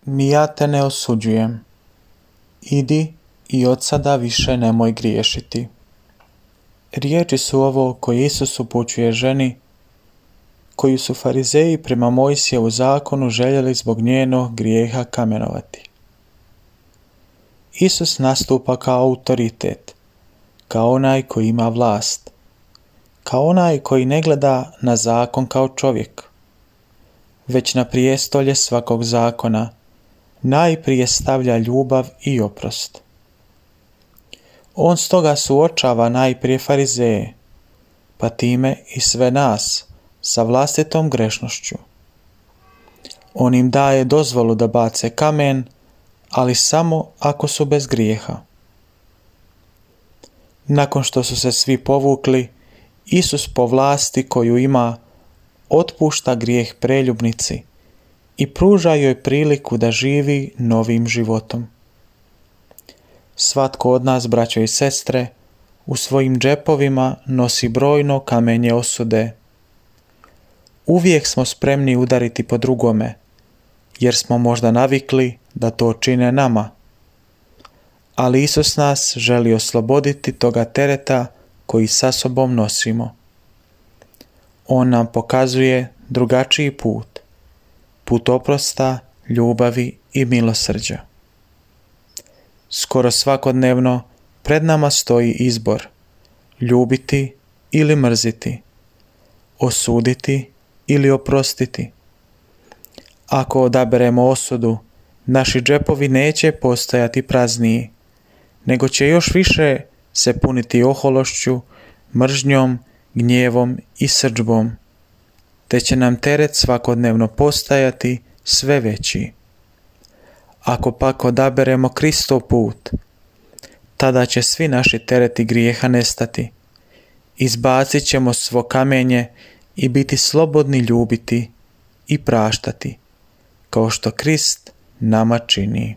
Ni ja te ne osuđujem. Idi i od sada više nemoj griješiti. Riječi su ovo koje Isus upućuje ženi, koju su farizeji prema Mojsijevu zakonu željeli zbog njenog grijeha kamenovati. Isus nastupa kao autoritet, kao onaj koji ima vlast, kao onaj koji ne gleda na zakon kao čovjek, već na prijestolje svakog zakona najprije stavlja ljubav i oprost. On stoga suočava najprije farizeje, pa time i sve nas sa vlastitom grešnošću. On im daje dozvolu da bace kamen, ali samo ako su bez grijeha. Nakon što su se svi povukli, Isus po vlasti koju ima otpušta grijeh preljubnici i pruža joj priliku da živi novim životom. Svatko od nas, braćo i sestre, u svojim džepovima nosi brojno kamenje osude. Uvijek smo spremni udariti po drugome, jer smo možda navikli da to čine nama. Ali Isus nas želi osloboditi toga tereta koji sa sobom nosimo. On nam pokazuje drugačiji put, put oprosta, ljubavi i milosrđa. Skoro svakodnevno pred nama stoji izbor: ljubiti ili mrziti, osuditi ili oprostiti. Ako odaberemo osudu, naši džepovi neće postajati prazniji, nego će još više se puniti ohološću, mržnjom, gnjevom i srdžbom, te će nam teret svakodnevno postajati sve veći. Ako pak odaberemo Kristov put, tada će svi naši tereti grijeha nestati. Izbacit ćemo svo kamenje i biti slobodni ljubiti i praštati, kao što Krist nama čini.